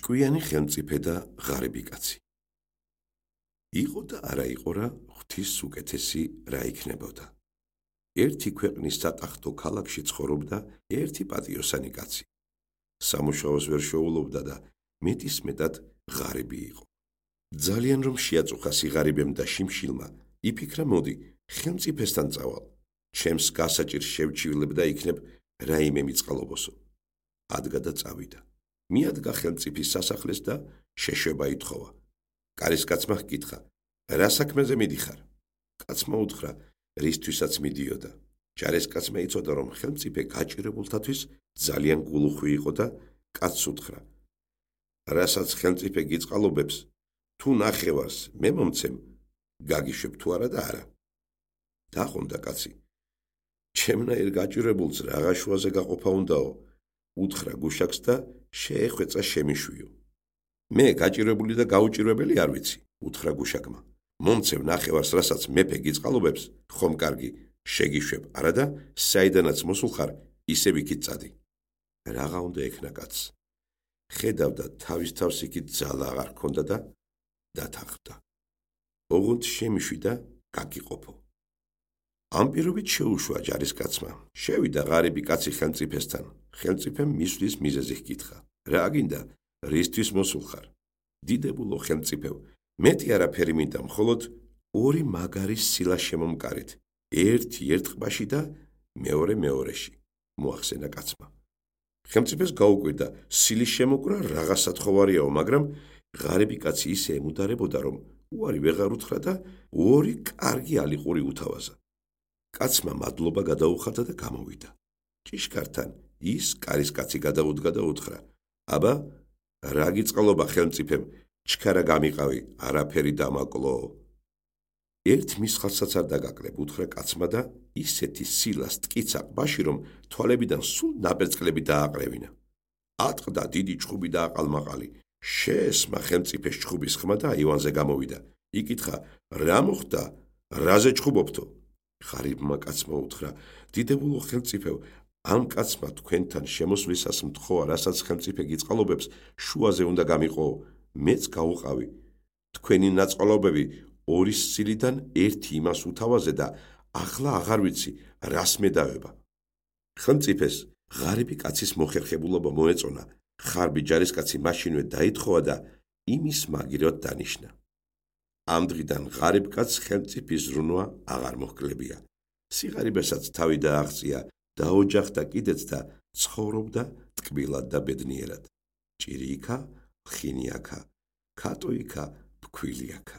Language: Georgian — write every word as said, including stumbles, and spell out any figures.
ჭკვიანი ხელმწიფე და ღარიბი კაცი. იყო და არა იყო რა ღვთის უკეთესი რა იქნებოდა. ერთი ქვეყნის სატახტო ქალაქში ცხოვრობდა ერთი პატიოსანი კაცი. სამუშაოს ვერ შეუვლობდა და მეტისმეტად ღარიბი იყო. ძალიან რომ შეაწუხა სიღარიბემ და შიმშილმა, იფიქრა მოდი, ხელმწიფესთან წავალ. ჩემს გასაჭირს შევჩივლებ და იქნებ რაიმე მიწყალობოსო. ადგა და წავიდა. მიადგა ხელმწიფის სასახლეს და შეშვება ითხოვა. კარის კაცმა ჰკითხა, რა საქმეზე მიდიხარ? კაცმა უთხრა, რისთვისაც მიდიოდა. ჯარისკაცმა იცოდა, რომ ხელმწიფე გაჭირებულთათვის ძალიან გულუხვი იყო და კაცს უთხრა, რასაც ხელმწიფე გიწყალობებს, თუ ნახევარს მე მომცემ, გაგიშვებ თუ არა და არა. დაყონდა კაცი. ჩემნაირ გაჭირებულს რაღა შუაზე გაყოფა უნდაო, უთხრა გუშაკს და შეეხვეწა შემიშვიო. მე გაჭირებული და გაუჭირვებელი არ ვიცი, უთხრა გუშაკმა. მომცემ ნახევარს, რასაც მეფე გიწყალობებს, ხომ კარგი, შეგიშვებ არა და საიდანაც მოსულხარ, ისევ იქით წადი. რაღა უნდა ექნა კაცს. ხედავდა თავის თავს იქით ძალა აღარ ჰქონდა და დათანხმდა. ოღონდ შემიშვი და გაგიყოფო. ამ პირობით შეუშვა ჯარისკაცმა. შევიდა ღარიბი კაცი ხელმწიფესთან. ხელმწიფემ მისვლის მიზეზი ჰკითხა. რა გინდა, რისთვის მოსულხარ? დიდებულო ხელმწიფევ, მეტი არაფერი მინდა, მხოლოდ ორი მაგარი სილა შემომკარით. ერთი ერთ ყბაში და მეორე მეორეში, მოახსენა კაცმა. ხელმწიფეს გაუკვირდა, სილის შემოკვრა რაღა სათხოვარიაო, მაგრამ ღარიბი კაცი ისე ემუდარებოდა, რომ უარი ვეღარ უთხრა და ორი კარგი ალიყური უთავაზა. კაცმა მადლობა გადაუხადა და გამოვიდა. ჭიშკართან ის კარისკაცი გადაუდგა და უთხრა, აბა, რა გიწყალობა ხელმწიფემ, ჩქარა გამიყავი, არაფერი დამაკლო. ერთ მისხალსაც არ დაგაკლებ, უთხრა კაცმა და ისეთი სილას ტკიცა ყბაში, რომ თვალებიდან სულ ნაბერწკლები დააყრევინა. ატყდა დიდი ჩხუბი და აყალმაყალი. შეესმა ხელმწიფეს ჩხუბის ხმა და აივანზე გამოვიდა. იკითხა, რა მოხდა, რაზე ჩხუბობთო? ღარიბმა კაცმა უთხრა, დიდებულო ხელმწიფევ, ამ კაცმა თქვენთან შემოსვლისას მთხოვა, რასაც ხელმწიფე გიწყალობებს, შუაზე უნდა გამიყო, მეც გავუყავი. თქვენი ნაწყალობები ორი სილიდან ერთი იმას უთავაზე და ახლა აღარ ვიცი, რას მედავება. ხელმწიფეს ღარიბი კაცის მოხერხებულობა მოეწონა, ხარბი ჯარისკაცი მაშინვე დაითხოვა და იმის მაგივრად დანიშნა. ამ დღიდან ღარიბ კაცს ხელმწიფის ზრუნვა აღარ მოჰკლებია. სიღარიბესაც თავი დააღწია, დაოჯახდა კიდეც და ცხოვრობდა ტკბილად და ბედნიერად. ჭირი იქა, ხინი აქა, ქათო იქა, ფქვილი აქა.